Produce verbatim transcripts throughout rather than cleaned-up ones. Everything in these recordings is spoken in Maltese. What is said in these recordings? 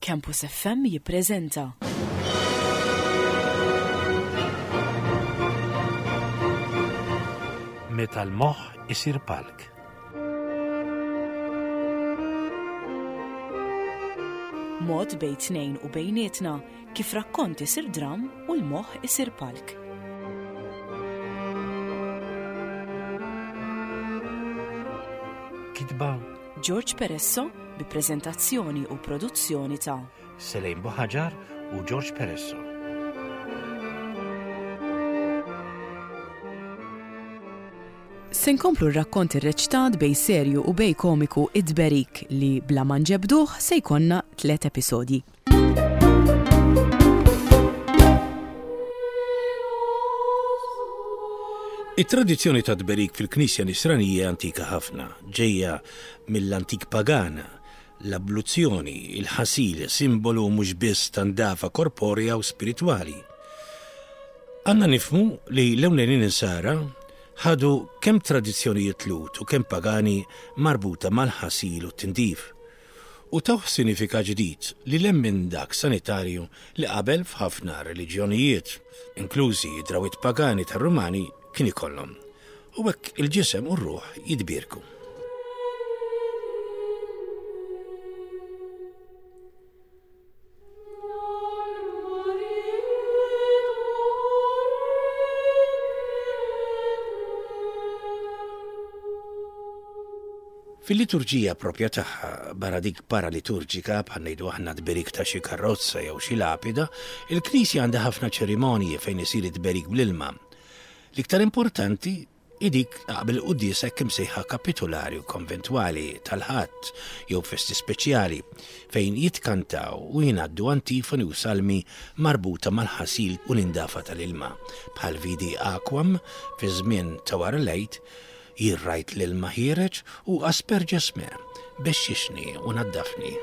Campus F M jippreżenta Meta l-moħħ isir palk. Mod bejn tnejn u bejnietna kif rakkont isir dram u l-moħħ isir palk. Kitba George Peresso bi preżentazzjoni u produzzjoni ta' Selejn Buħaġar u George Peresso. Se nkomplu r-rakkont irreċtat bejn serju u bejn komiku Id-Berik li bla ma nġebduh se jkollna tliet episodji. It-tradizzjoni ta' tberik fil-Knisja Nisranija antika ħafna, ġejja mill-antik pagana, l-abluzzjoni, il-ħasil, simbolu mhux biss ta' ndafa korporea u spiritwali. Għandna nifhmu li l-ewlenin insara ħadu kemm tradizzjonijiet Lhud u kemm pagani marbuta mal-ħasil u t-tindif. U tawh sinifikat ġdid li lil hinn minn dak sanitarju li qabel f'ħafna reliġjonijiet, inklużi drawwiet pagani tar-Rumani, kien ikollhom. U hekk il-ġisem u r-ruħ jitbierku. Fil-liturġija propja tagħha, barra dik paraliturġika, bħal ngħidu aħna tberik ta' xi karozza jew xi lapida, il-Knisja għandha ħafna ċerimonji fejn isir it-tberik bl-ilma. L-iktar importanti hi dik qabel quddiesa hekk imsejħa kapitolari u konventwali tal-Ħadd jew festi speċjali fejn jitkantaw u jingħaddu antifoni u salmi marbuta mal-ħasil u l-indafa tal-ilma, bħal Vidi Aquam fi żmien ta' wara l-Għid, jien rajt l-ilma ħiereġ u Asperges me, bexxixni u naddafni.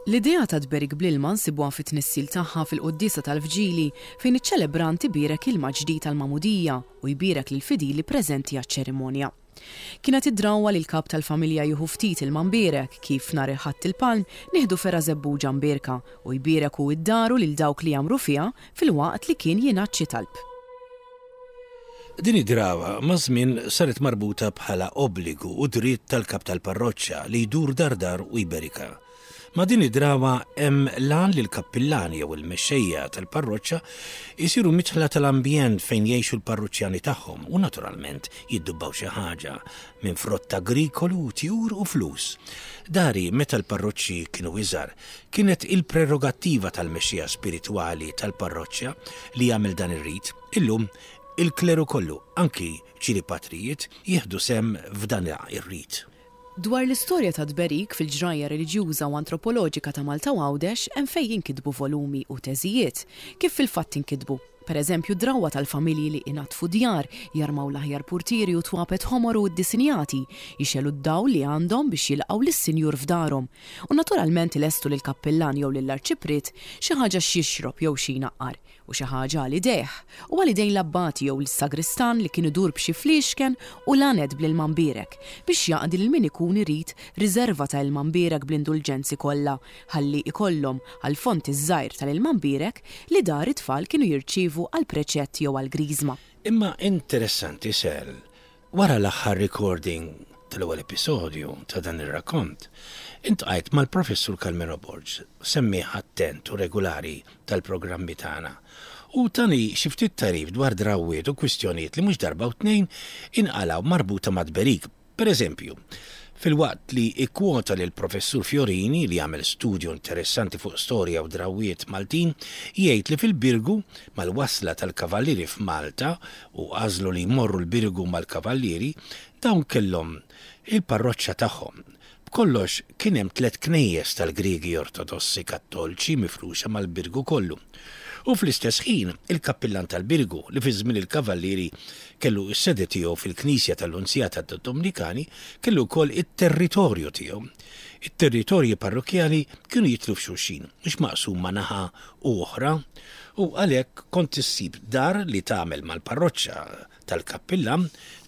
L-idea ta' tberik bl-ilma nsibuha fit-tnissil tagħha fil-quddiesa tal-Vġili, fejn iċ-ċelebrant ibierek ilma ġdid tal-magħmudija u jbierek lill-fidili preżenti għaċ-ċerimonja. Kienet id-drawwa li l-kap tal-familja jieħu ftit ilma mbierek, kif nhar il-Ħadd il-Palm nieħdu fergħa żebbuġa mbierka, u jbierek hu d-dar u lil dawk li jgħammru fiha filwaqt li kien jingħad xi talb. Din id-drawa maż-żmien saret marbuta bħala obbligu u dritt tal-kap tal-parroċċa li jdur dar dar u jberika. Ma' din id-drawa hemm l-għan li l-kappillani jew il-mexxejja tal-parroċċa jsiru midħla tal-ambjent fejn jgħixu l-parroċċjani tagħhom u naturalment jiddubbaw xi ħaġa minn frott agrikolu, tjur u flus. Dari meta l-parroċċi kienu iżgħar, kienet il-prerogattiva tal-mexxejja spiritwali tal-parroċċa li jagħmel dan ir-rit. Illum il-kleru kollu, anki ċili patrijiet, jieħdu sehem f'dan ir-rit. Dwar l-istorja ta' tberik fil-ġrajja reliġjuża u antropoloġika ta' Malta u Għawdex hemm fejn jinkitbu volumi u teżijiet, kif fil-fatt inkitbu. Per eżempju, drawwa tal-familji li inaddfu djar, jarmaw l-aħjar purtieri u twapet ħomor u ddisinjati, jixegħlu d-dawl li għandhom biex jilqgħu lis-sinjur f'darhom. U naturalment ilestu lill-kappillan jew lill-arċipriet xi ħaġa x'jixrob jew xi jnaqqar, u xi ħaġa għal idejh, u għal idejn l-abbati jew l-sagristan li kien idur b'xi fliexken u laned bl-ilma mbierek biex jaqdi lil min ikun irid riserva ta' ilma mbierek bl-indulġenzi kollha, ħalli ikollhom għal font iż-żgħir tal-ilma mbierek li dar it-tfal kienu jirċievu għal preċett jew għal griżma. Imma interessanti sel, wara l-aħħar recording tal-ewwel episodju ta' dan ir-rakkont, iltqajt mal-professur Carmelo Borg, semmiegħ attent u regolari tal-programmi tagħna, u tani xi ftit tagħrif dwar drawwiet u kwistjonijiet li mhux darba u tnejn inqalgħu marbuta ma' tberik. Per eżempju, filwaqt li ikkwota lil professur Fiorini li għamel studju interessanti fuq storja u drawwiet Maltin, jgħid li fil-Birgu mal-wasla tal-kavallieri f'Malta u għażlu li jmorru l-Birgu mal-kavallieri, dawn kellhom il-parroċċa tagħhom. B'kollox kien hemm tliet knejjes tal-Griegi Ortodossi Kattolċi mifruxa mal-Birgu kollu. U fl-istess ħin il-kappillan tal-Birgu li fi żmien il-kavallieri kellu s-sede tiegħu fil-Knisja tal-Lunzjata tad-Dominikani kellu wkoll it-territorju tiegħu. It-territorji parrokkjali kienu jidħlu f'xulxin, mhux maqsuma naħa u oħra, U għalhekk kont issib dar li tagħmel mal-parroċċa tal-kappillan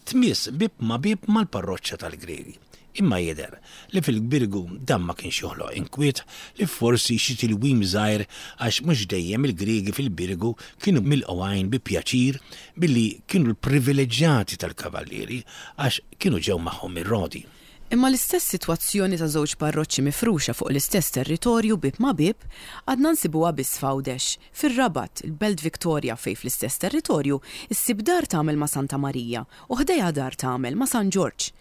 tmiss bib ma bib mal-parroċċa tal-Griegi. Imma jidher li fil-Birgu dan ma kienx joħloq inkwiet li forsi xi tilwim żgħir għax mhux dejjem il-Griegi fil-Birgu kienu milqugħin bi pjaċir billi kienu l-privileġġjati tal-kavallieri għax kienu ġew magħhom mir-Rodi. Imma l-istess sitwazzjoni ta' żewġ parroċċi mifruxa fuq l-istess territorju bib ma' bib għadna nsibuha biss f'Għawdex, fir-Rabat, il-Belt Victoria fejn fl-istess territorju issib dar tagħmel ma' Santa Marija u ħdejha dar tagħmel ma' San Ġorġ.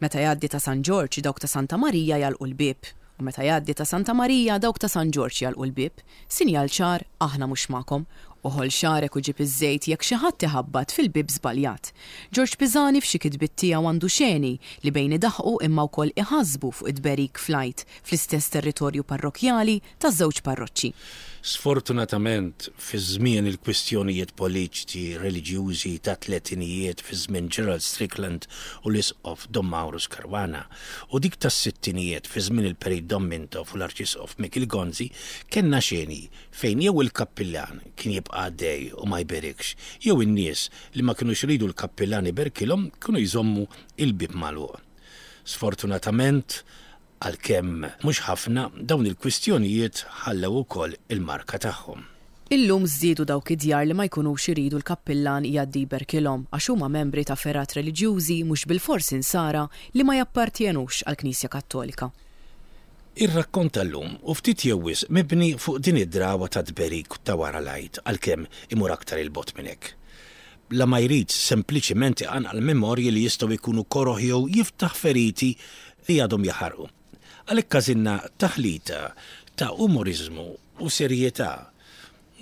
Meta jgħaddi ta' San Ġorġ dawk ta' Santa Marija jagħlqu l-bieb u meta jgħaddi ta' Santa Marija dawk ta' San Ġorġ jagħlqu l-bieb. Sinjal ċar aħna mhux magħkom. Uħol xagħrek u ġib iż-żejt jekk xi ħadd iħabbat fil-bieb żbaljat. Ġorġ Pisani f'xi kitbiet tiegħu għandu xeni li bejn idaħqu imma wkoll iħasbu fuq id-berik fl-Għid fl-istess territorju parrokkjali taż-żewġ parroċċi. Sfortunatament, fi żmien il-kwistjonijiet politiċi reliġjużi ta' tletinijiet fi żmien Gerald Strickland u l-Isqof Dom Maurus Caruana u dik tas-sittinijiet fi żmien il-Perit Dom Mintoff u l-Arċisqof Mikiel Gonzi, kellna xeni fejn jew il-kappillan kien jibqa' għaddej u ma jberikx, jew in-nies li ma kinux iridu l-kappillan iberkilhom kienu jżommu il-bib magħluq. Sfortunatament, għalkemm mhux ħafna, dawn il-kwistjonijiet ħallew ukoll il-marka tagħhom. Illum żdiedu dawk id-djar li ma jkunux iridu l-kappillan jgħaddi jberkilhom għax huma membri ta' fergħat reliġjużi mhux bilfors insara li ma jappartjenux għall-Knisja Kattolika. Ir-rakkont tal-lum u ftit jew wisq mibni fuq din id-drawa ta' tberik ta' wara l-Għid għalkemm imur aktar il-bogħod minn hekk. La ma jrid sempliċiment iqanqal memorji li jistgħu jkunu koroh jew jiftaħ feriti li għadhom jaħarqu. Għalhekk għażilna taħlita ta' umoriżmu u serjetà,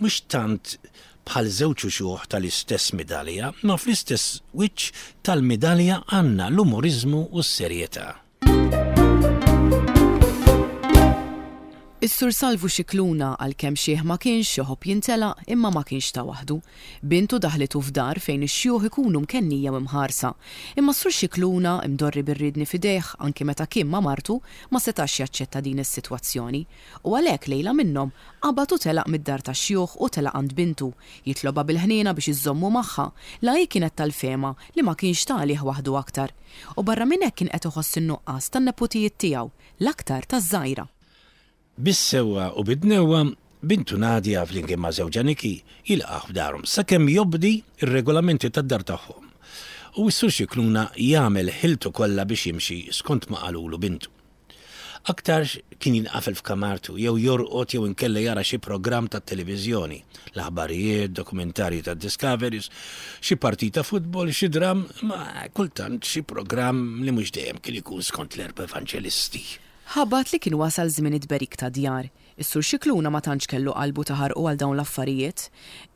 mhux tant bħal żewġ uxuħ tal-istess medalja, ma fl-istess wiċċ tal-medalja għandna l-umoriżmu u s-serjetà. Is-Sur Salvu Scicluna għalkemm xieħ ma kienx iħobb jintelaq imma ma kienx ta' waħdu. Bintu daħlitu f'dar fejn ix-xjuħ ikunu mkennija u mħarsa. Imma s-Sur Scicluna imdorri bir-ridni f'idejh anki meta kien ma' martu ma setax jaċċetta din is-sitwazzjoni. U għalhekk lejla minnhom qabad u telaq mid-dar tax-xjuħ u telaq għand bintu, jitloba bil-ħniena biex iżommu magħha, la hi kienet tal-fema li ma kienx ta' għalih waħdu aktar. U barra minn hekk kien qed iħoss in-nuqqas tan-nepotijiet tiegħu, l-aktar taż-żgħira. Bis-sewwa u bid-dnewwa, bintu Nadia flimkien ma' żewġha Niki jilqgħu f'darhom sakemm jobdi r-regolamenti tad-dar tagħhom. U s-Sur Scicluna jagħmel ħiltu kollha biex jimxi skont ma qalulu bintu. Aktarx kien jinqafel f'kamartu jew jorqod jew inkella jara xi programm tat-televiżjoni, l-aħbarijiet, dokumentarji tad-Discoveries, xi partita futbol, xi dram, ma kultant xi programm li mhux dejjem kien ikun skont l-erba' evanġelisti. Ħabat li kien wasal żmien id-berik ta' djar. Is-Sur Scicluna ma tantx kellu qalbu taħarqu għal dawn l-affarijiet.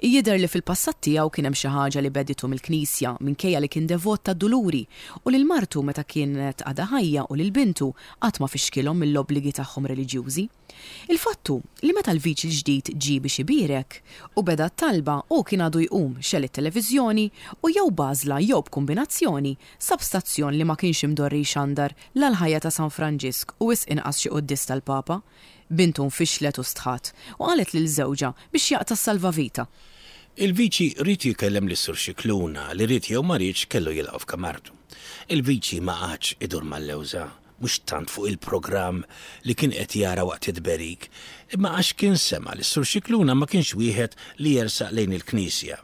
Jidher li fil-passat tiegħu kien hemm xi ħaġa li beditu mill-Knisja minkejja li kien devot tad-Duluri u lil martu meta kienet għadha ħajja u lil bintu qatt ma fixkilhom mill-obbligi tagħhom reliġjużi. Il-fattu li meta l-viċi l-ġdid ġie biex ibierek u beda t-talba u kien għadu jqum xel it-televiżjoni u jew bażla jew b'kombinazzjoni sab stazzjon li ma kienx imdorri jxandar la l-ħajja ta' San Franġisk u wisq inqas xi quddis tal-Papa. Bintu nfixlet u stħat u qalet lil żewġha biex jaqta' s-salvavita. Il-viċi ried jikellem lis-Sur Scicluna li ried jew ma riedx kellu jilqgħu f'kamartu. Il-viċi ma qagħadx idur mal-lewża, mhux tant fuq il-programm li kien qed jara waqt id-berik, imma għax kien sema' li s-Sur Scicluna ma kienx wieħed li jersaq lejn il-Knisja.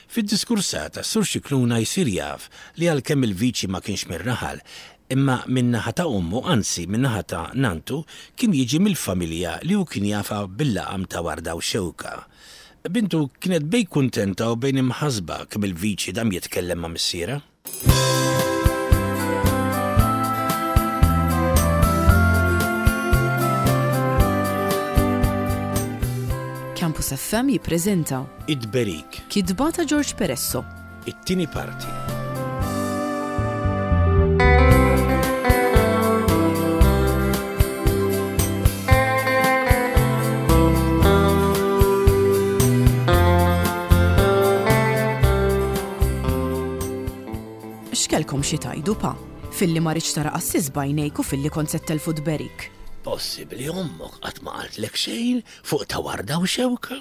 Fid-diskursata s-Sur Scicluna jsir jaf li għalkemm il-viċi ma kienx mir-raħal, imma min-naħa ta' ommu, anzi min-naħa ta' nantu, kien jiġi mill-familja li hu kien jafa bil-laqam ta' Warda u Xewka. Bintu kienet bejn kuntenta u bejn imħasba kemm il-viċi dam jitkellem ma' missiera. Campus F M jippreżenta Id-Berik, kitba ta' George Peresso, it-tieni parti. X'kellkom xi tajdu pa? Filli ma rridx tara qassis b'għajnejk u filli kont se ttelfu tberik. Possibbli ommok qatt ma qaltlek xejn fuq ta' Warda u Xewka?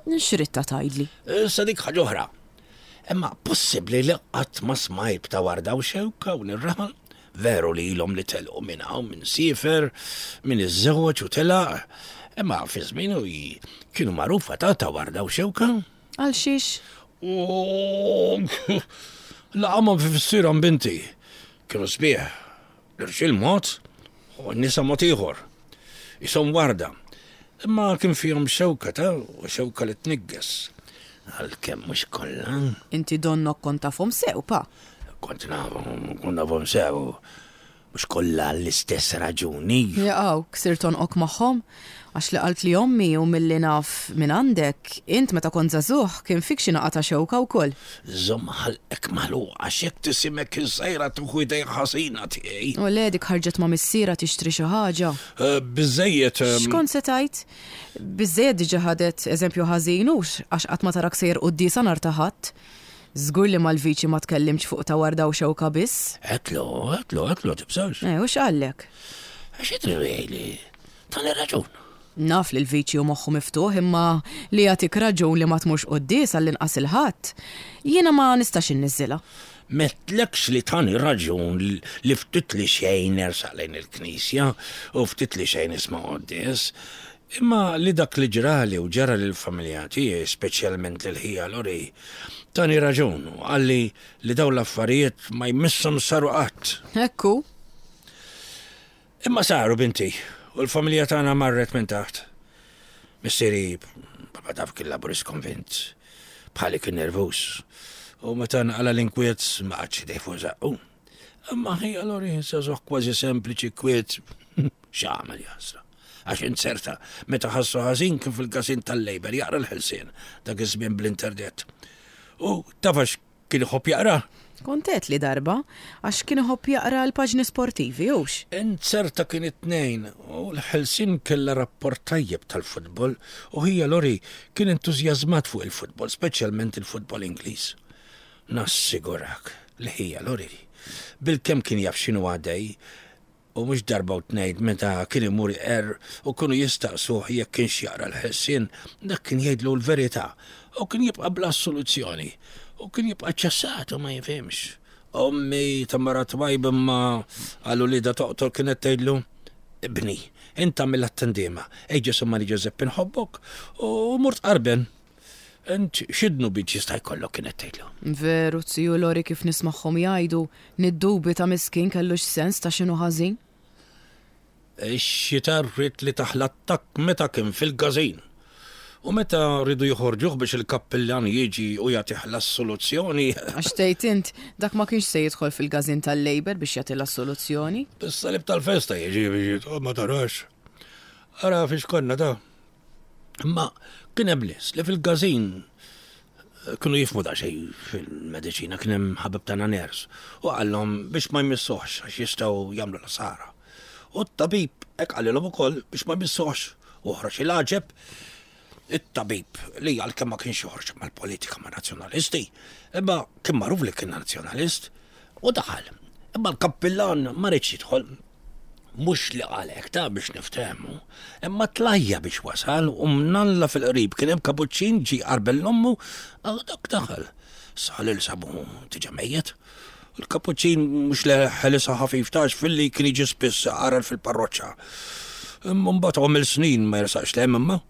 X'ridtha tgħidli? Issa dik ħaġa oħra. Imma possibbli li qatt ma smajt ta' Warda u Xewka u nir-raħal? Veru li ilhom li telqu minn hawn minn siefer, minn iż-żewġ u telaq. Imma fi żmienu kienu magħrufa ta' ta' Warda u Xewka. Għal xiex? U laqamhom fi fissirhom binti. Kienu sbieħ. L-irġiel mod u n-nisa mod ieħor. Isom warda. Imma kien fihom xewka ta' u xewka li tnigges. Għalkemm mhux kollha. Inti donnok kont tafhom sew, pa. Kont nafhom, kont nafhom sew. Mhux kollha l-istess raġuni. Jaqaw, ksirt għonqok magħhom, għax li qaltli ommi u milli naf minn għandek, int meta kont żagħżugħ kien fik xi naqa ta' xewka wkoll. Żomm ħalqek magħluq għax jekk tisimek iż-żgħira tieħu idejn ħażina tiegħi. U le dik ħarġet ma' missierha tixtri xi ħaġa. Eh, Biżejjed. ehm, X'kont se tgħid? Biżejjed diġà ħadet eżempju ħażin hux għax qatt ma tarak sejjer quddiesa nhar ta' Ħadd. Żgur li mal-viċi ma tkellimx fuq ta' Warda u Xewka biss. Għedtlu, għedtlu, għedtlu, tibżax. Eh, u x'qallek? Għax jidri li tani raġun. Naf li l-viċi hu moħħu miftuħ imma li jagħtik raġun li ma tmurx quddies għall-inqas il-Ħadd. Jiena ma nistax inniżżilha. M'għedtlekx li tani raġun li ftit li xejn nersaq lejn il-knisja u ftit li xejn nisma' quddies. Imma li dak li ġrali u ġara lill-familja tiegħi, speċjalment lil ħija Lori, tani raġun u qalli li dawn l-affarijiet ma jmisshom saru qatt. Ekku, Imma saru binti, u l-familja tagħna marret minn taħt. Missieri, baba taf kien laburist konvint, bħali kien nervus. U meta nqala l-inkwiet ma qagħadx idejh fuq żaqqu. Imma ħija Lori żagħżugħ kważi sempliċi kwiet, x'għamel jasra. Għax inzerta, meta ħassu ħażin kien fil-każin tal-Labour jaqra l-Ħelsien, dak iż-żmien bl-internet. U tafax kien iħobb jaqra? Kont għedtli darba, għax kien iħobb jaqra l-paġni sportivi, hux? Inzerta kien it-tnejn u l-Ħelsien kella rapport tajjeb tal-futbol u ħija Lori kien entużjażmat fuq il-futbol, speċjalment il-futbol Ingliż. Nassigurak li ħija Lori bilkemm kien jaf x'inhu għaddej u mhux darba u tnejn meta kien imur iqerr u kienu jistaqsuh jekk kienx jaqra l-Ħelsien, dak kien jgħidlu l-verità u kien jibqa' bla soluzzjoni u kien jibqa' ċassat u ma jifhimx. Ommi ta' mara twajba imma għal uliedha toqtol kienet tgħidlu, ibni, inta mill-attendima, ej Ġesù Marija Ġużeppi nħobbok u mort qarben. Int x'idnu biex jista' jkollok kienet tgħidlu. Veru, ziju Lori kif nismagħhom jgħidu, niddubita miskin kellux sens ta' x'inhu ħażin. Ix-xitan ried li tah l-attakk meta kien fil-każin. U meta rridu joħorġuh biex il-kappillan jiġi u jagħtih l-assoluzzjoni. Għax tgħid int, dak ma kienx se jidħol fil-każin tal-Labour biex jagħti l-assoluzzjoni. Bis-salib tal-festa jiġi biex jidħol ma tarax. Ara fiex konna ta' Imma kien hemm nies li fil-każin kienu jifhmu daqsxejn fil-mediċina, kien hemm ħabib tagħna nurse u qallhom biex ma jmissuhx għax jistgħu jagħmlu l-ħsara. U t-tabib hekk qalilhom ukoll biex ma jmissuhx u ħroġ il-għaġeb it-tabib li għalkemm ma kienx joħroġ mal-politika ma' nazzjonalisti, imma kien magħruf li kien nazzjonalist u daħal. Imma l-kappillan ma riedx jidħol. Mhux li qalek ta' biex niftehmu, imma tlajja biex wasal u mnalla fil-qrib kien hemm kapuċċin ġie qarbel 'l ommu, dak daħal. Sal il sabu diġà mejjet. Il-kapuċċin mhux li ħelisha ħafif tax filli kien jiġi spiss qarar fil-parroċċa. Imma mbagħad għamel snin ma jersaqx 'l hemm imma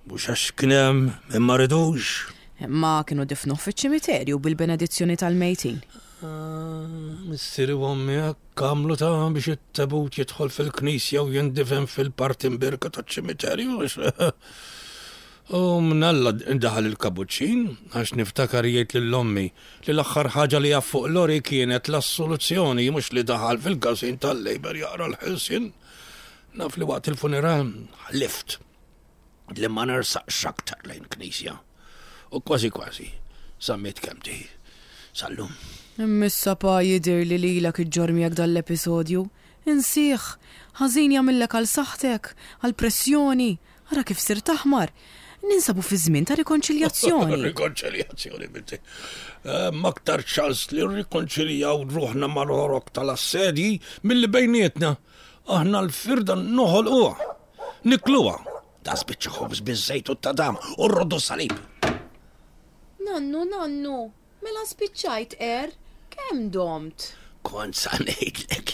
mhux għax kien hemm imma ridux. Imma kienu difnuh fiċ-ċimiterju bil-benedizzjoni tal-mejtin. Missieri u ommi hekk għamlu ta' biex it-tabut jidħol fil-knisja u jindifen fil-parti mbierka taċ-ċimiterju. U mnalla daħal il-kapuċċin, għax niftakar jgħid lil ommi li l-aħħar ħaġa li jaf fuq Lori kienet l-assoluzzjoni mhux li daħal fil-każin tal-Labour jaqra l-Ħelsien. Naf li waqt il-funeral ħlift li ma nersaqx aktar lejn knisja. U kważi kważi, żammejt kelmti sal-lum. Imma pa jidhirli li lilek iġġorr miegħek dal-episodju. Insih, ħażin jagħmillek għal saħħtek, għal pressjoni, ara kif sirt aħmar. Ninsabu fi żmien ta' rikonċiljazzjoni. Rikonċiljazzjoni, binti. Aktar ċans li rrikonċiljaw ruħna mal-ħorok tal-assedji milli bejnietna. Aħna l-firda noħolquha. Nikluha. Da spiċċa ħobż biż-żejt u t-tadam u rroddu salib. Nannu, nannu, mela spiċċajt er, kemm domt? Kont sa ngħidlek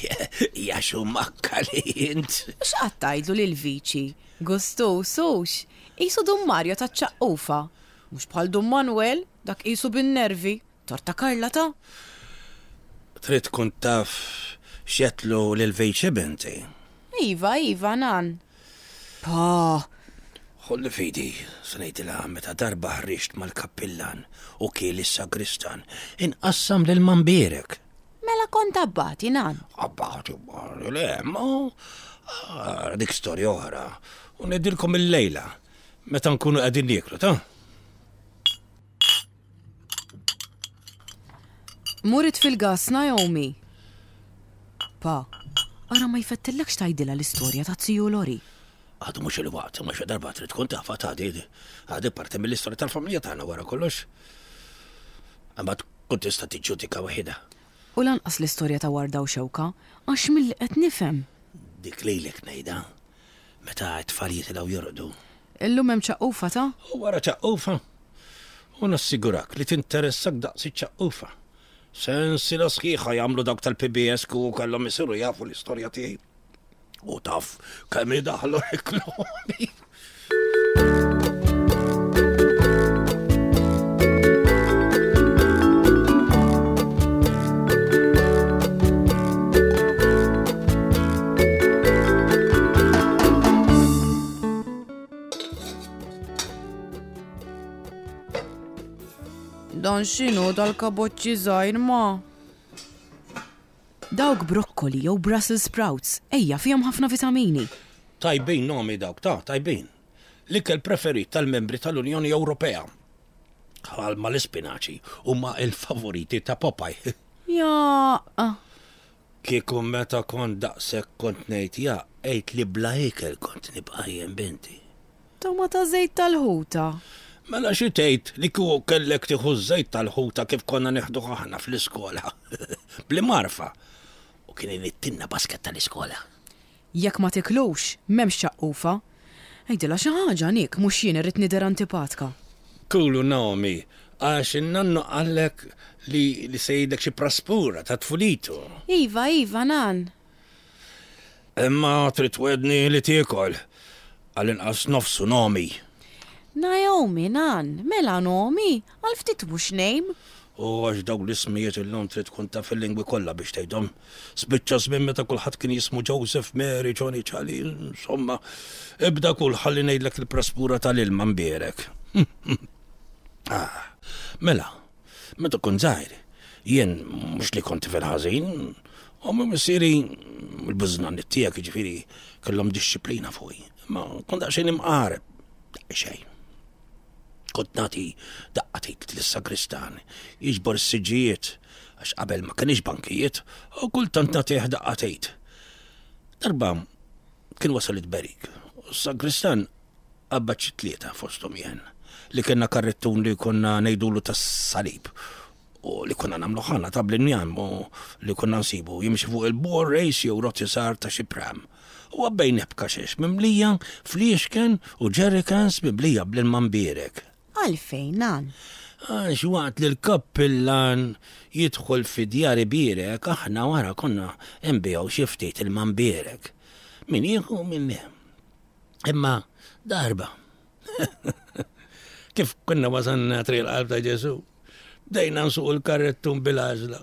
ja xumakka li int. X'qatt tgħidlu lil viċi? Gustu, sux, qisu Dun Mario taċ-ċaqqufa. Mhux bħal Dun Manuel, dak qisu bin-nervi. Torta Karla ta'. Trid tkun taf x'jetlu lil viċi binti. Iva, iva, nan. Pa, Ħolli fidi, se ngħidilha meta darba ħriġt mal-kappillan u kiel is-sagristan, inqassam lil Mambierek. Mela kont abbati, nan. Abbati, le, ma ah, dik storja oħra. U ngħidilkom il-lejla, meta nkunu qegħdin nieklu, ta'? Murit fil-gas, Naomi. Pa, ara ma jfettillekx tgħidilha l-istorja ta' Ziju Lori. Għadu mhux il-waqt, ma xi darba trid tkun tafha ta' di għadi parti mill-istorja tal-familja tagħna wara kollox. Imma tkun tista' tiġġudika waħidha. U lanqas l-istorja ta' Warda u Xewka, għax milli qed nifhem. Dik lejlek ngħidha, meta t-tfal jitilgħu jorqdu. Illum hemm ċaqqufa ta'? U wara ċaqqufa. U nassigurak li tinteressak daqs iċ-ċaqqufa. Sensiela sħiħa jagħmlu dawk tal-P B S kieku kellhom isiru jafu l-istorja tiegħi. U taf kemm idaħlu reklami. Dan x'inhu dal-kaboċċi żgħir ma? Dawk brokkoli jew Brussels sprouts, ejja fihom ħafna vitamini. Tajbin nomi dawk, ta' tajbin. L-ikel preferit tal-membri tal-Unjoni Ewropea. Bħal ma l-ispinaċi huma il-favoriti ta' Popeye. Ja. Kieku meta kont daqshekk kont ngħid ja, għid li bla ikel kont nibqa' jien binti. Toma ta' żejt tal-ħuta. Mela xi tgħid li kieku kellek tieħu ż-żejt tal-ħuta kif konna nieħduh aħna fl-iskola. Bli marfa. U kien inittinna basket tal-iskola. Jekk ma tiklux, m'hemmx ċaqqufa. Għidilha xi ħaġa Nick, mhux jien irrid nidher antipatka. Kulu Naomi, għax in-nannu qallek li, li se jgħidlek xi praspura ta' tfulitu. Iva, iva, nan. Imma trid twedni li tiekol għall-inqas nofsu Naomi. Naomi, nan, mela Naomi, għal ftit mhux nejm. U għax dawk l-ismijiet illum trid tkun taf il-lingwi kollha biex tgħidhom. Spiċċa żmien meta kulħadd kien jismu Joseph, Mary, Johnny, Charlie, insomma, ibda kull ħalli ngħidlek il-praspura tal-ilma mbierek. Ah, mela, meta kont żgħir, jien mhux li kont tifel ħażin, u missieri l-bużnanni tiegħek jiġifieri kellhom dixxiplina fuqi, ma kont daqsxejn imqareb, daqsxejn. Kont nagħti daqqa tgħid lis-sagristan jiġbor is-siġġijiet għax qabel ma kienx bankijiet u kultant nagħtih daqqa tgħid. Darba kien wasal it-berik u s-sagristan qabbad xi tlieta fosthom jien li kellna karrettun li konna ngħidulu tas-salib u li konna nagħmlu ħana ta' bl-injam u li konna nsibu jimxi fuq il-bor race jew roti sar ta' xi pram. U għabbejn b'kaxex mimlija fliexken u jerrycans mimlija bl-ilma mbierek. Għalfejn, nan? Għax waqt li l-kappillan jidħol fi djar ibierek, aħna wara konna nbigħu xi ftit ilma mbierek. Min jieħu min le. Imma darba. Kif konna wasanna triq il-qalb ta' Ġesu, bdejna nsuqu l-karrettun bil-għaġla.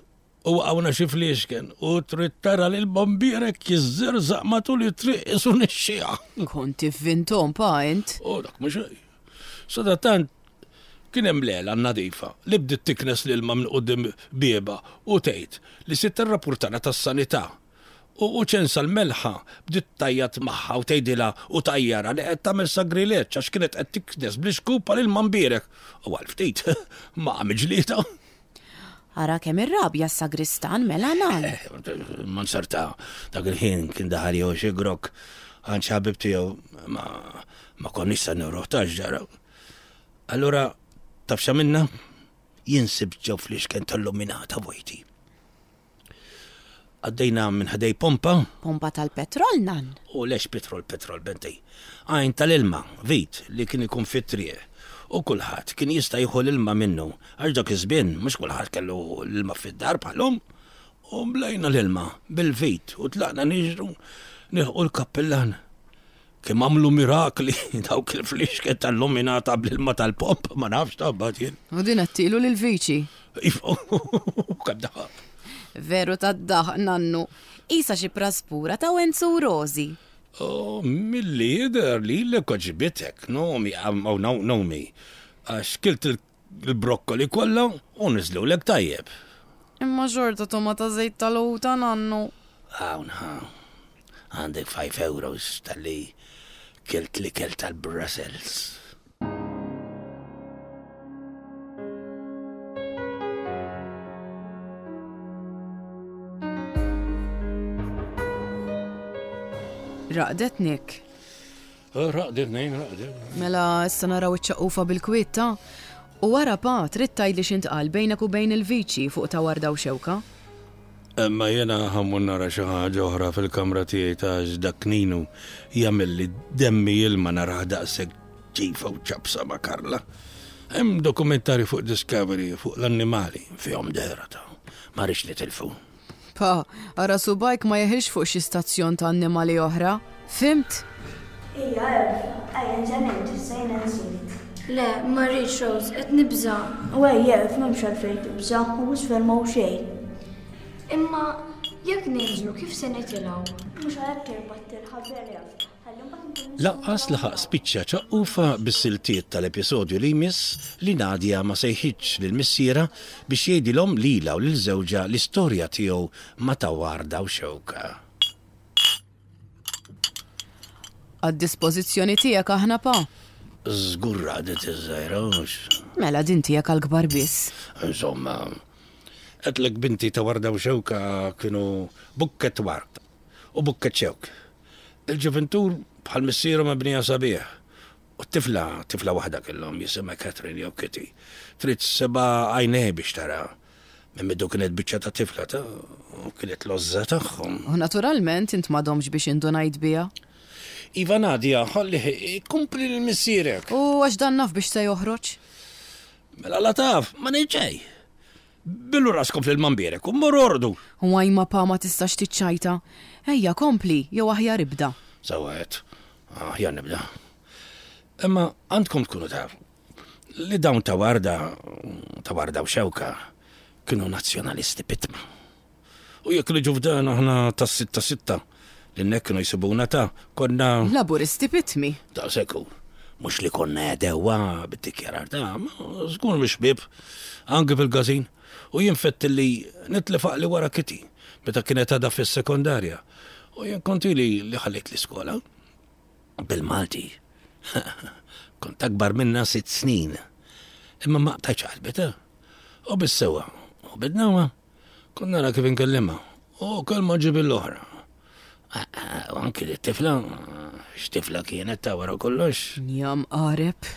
U waqgħuna xi fliexken u trid tara li l-bombierek jiżżerżaq matul it-triq isu nixxieha. Kont ivvintom pa int. U dak mhux hekk. Sadattant kien hemm lela nadifa li bdiet tiknes l-ilma minn quddiem bieba u tgħid li sitt ir-rapportana tas-sanità. U, u ċensa l-melħa bdiet tajjat magħha u tgħidilha u tajjara li qed tagħmel sagrileġġ għax kienet qed tiknes bl-ixkupa lil mbierek. U għal ftit ma għamel ġlieda. Ara kemm irrabja s-sagristan mela nan. Eh, ma nsarta dak il-ħin kien daħal jew xi grok għand xi ħabib tiegħu ma, ma konniex se nruħ ta' ġara. Allura taf x'għamilna? Jien sibt ġew fl-ixken tal-luminata vojti. Għaddejna minn ħdej pompa. Pompa tal-petrol, nan? U lex petrol, petrol, bentej. Għajn tal-ilma, vit, li kien ikun fit-triq. U kulħadd kien jista' jieħu l-ilma minnu, għax dak iż-żmien mhux kulħadd kellu l-ilma fid-dar bħalhom. U mlejna l-ilma bil-vit u tlaqna niġru nilħqu l-kappillan. Kemm għamlu mirakli dawk il-flixket tal-luminata bl-ilma tal-pomp, ma nafx tabbat jien. U din għattilu lil-viċi. Kemm daħaq. Veru tad-daħq, nannu. Isa xi praspura ta' Wenzu u Rosi. Oh, milli jidher li l għoġbitek, Nomi, oh, no, Nomi, għax kilt il-brokkoli kollha u niżlulek tajjeb. Imma xorta toma ta' żejt tal-ħuta, nannu. Hawn ha, għandek five euros tal-li kilt li kilt tal-Brussels. Raqdet Nick. Raqdet nejn, raqdet. Mela issa naraw iċ-ċaqqufa bil-kwiet ta. U wara pa, trid tgħidli x'intqal bejnek u bejn il-viċi fuq ta' warda u xewka. Imma jiena ħa mmur nara xi ħaġa oħra fil-kamra tiegħi ta' dak Ninu jagħmilli demmi ilma narah daqshekk ġifa u ċapsa ma' Karla. Hemm dokumentari fuq Discovery fuq l-annimali fihom dehra ta' ma rridx nitilfu. Pa, ara subgħajk ma jeħilx fuq xi stazzjon ta' annimali oħra. Fhimt? Ejja, Elf, ejja nġenint, issa jiena nsirt. Le, ma rridx Rose, qed nibża'. U ejja, Elf, m'hemmx għalfejn tibża', u isfel m'hawn xejn. Imma jekk ninżlu kif se nitilgħu? Mhux għalhekk irbatt il-ħabel Elf. Ħalli mbagħad nkunu nistgħu Lanqas laħaq spiċċa ċaqqufa bis-siltiet tal-episodju li jmiss li Nadia ma sejħitx lil missierha biex jgħidilhom lilha u lil żewġha l-istorja tiegħu ma' ta' warda u xewka. Għad-dispożizzjoni tiegħek aħna pa. Żgur raqdet iż-żgħira hux. Mela din tiegħek għall-kbar biss. Insomma, għedtlek binti ta' warda u xewka kienu bukket ward u bukket xewk. Il-ġuventur bħal missieru mibnija sabiħ. U t-tifla, tifla waħda kellhom jisimha Catherine jew Kitty. Trid seba' għajnej biex tara. Minn bidu kienet biċċa ta' tifla ta' u kienet l-għożża tagħhom. U naturalment int m'għadhomx biex indunajt biha. Iva Nadia, ħalli kompli lil missierek. U għax dan naf biex se joħroġ? Mela la taf, ma ngħid Billu raskom fil-mambierek u mmorru orqdu. U għajma pa ma tistax tiċċajta. Ejja, kompli, jew aħjar ibda. Sawet, aħjar nibda. Imma għandkom tkunu taf li dawn ta' warda, ta' warda u xewka, kienu nazzjonalisti pitma. U jekk li ġufdan aħna ta' sitta sitta, li nek kienu jisibuna ta' konna. Laburisti pitmi. Ta' seku. Mux li konna għedewa bit-dikjarar ta' ma żgur mhux ħbieb, anke fil-gazin. U jien fett li nitlef li wara Kitty, meta kienet għadha fis-sekondarja. U jien konti li li ħallit l-iskola. Bil-Malti. Kont akbar minna sitt snin. Imma ma qtajtx qalbi ta' U bis-sewa. U bidnawa. Kont nara kif inkellimha. U kelma ġib l-oħra. U anki li t-tifla, x'tifla kienet ta' wara kollox. Njam qareb.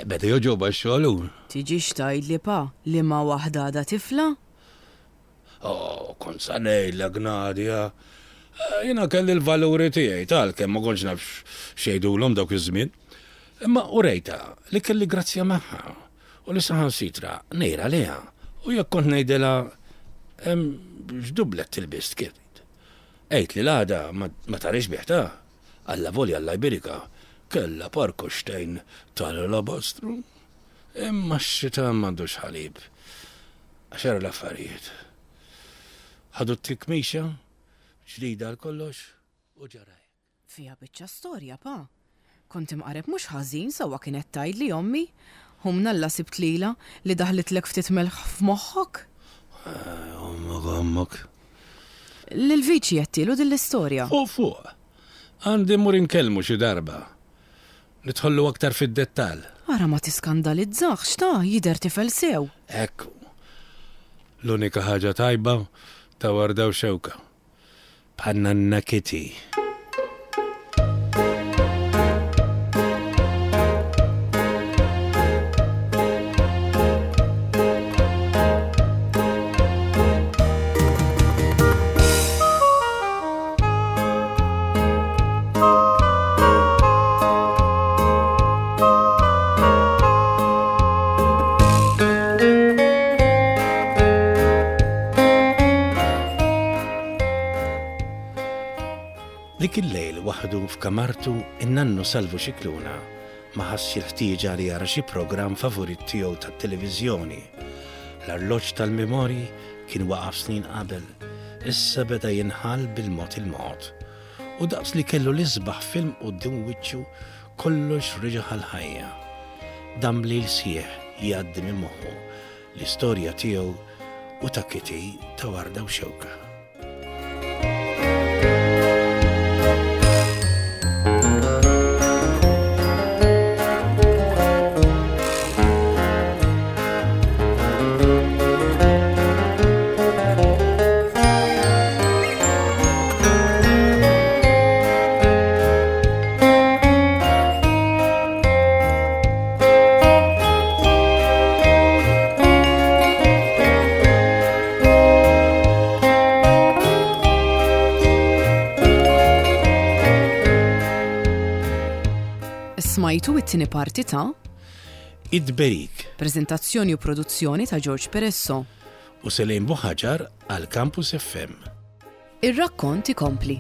Beda joġoba x-xogħol. Tiġix tgħidli pa li ma waħda għadha tifla? Oh, kont sa ngħidlek Nadia. Jiena kelli l-valuri tiegħi tal kemm ma kontx naf x'jgħidulhom dawk iż-żmien. Imma urejta li kelli grazzja magħha u li saħansitra ngħira liha. U jekk kont ngħidilha x'dublet tilbist kif. Għejt li l-għada ma tarix biħta. Alla volja Alla jbirika. Kella parkoxtejn tal-alabastru. Imma x-xita m'għandux ħalib. Għaxar l-affarijiet. Ħadu t-tikmixa, ġdida għal kollox u ġara. Fija biċċa storja, pa. Kont imqareb mhux ħażin sewwa kienet tgħidli ommi. Hum nalla sibt lila li daħlitlek ftit melħ f'moħħok. Ommok, ommok. Lil-viċi għedtilu din l-istorja. Fuq fuq. Għandi mmur inkellmu xi darba. Nidħollu aktar fid-dettall. Ara ma tiskandalizzax ta' jidher tifel sew. Ekku. L-unika ħaġa tajba ta' warda u xewka. Bħan-nanna Kitty. Dik il-lejl waħdu f'kamartu in-nannu Salvu Scicluna ma ħassx il-ħtieġa li jara xi programm favorit tiegħu tat-televiżjoni. L-arloġġ tal-memorji kien waqaf snin qabel, issa beda jinħall bil-mod il-mod. U daqs li kellu l-isbaħ film quddiem wiċċu kollox reġa' ħal-ħajja. Dam lejl sħiħ jgħaddi minn moħħu l-istorja tiegħu u ta' Kitty ta' Warda u Xewka. Smajtu it-tieni parti ta' Id-Berik Prezentazzjoni u produzzjoni ta' George Peresso. U Selene Buhagiar għal Campus F M. Ir-rakkont ikompli.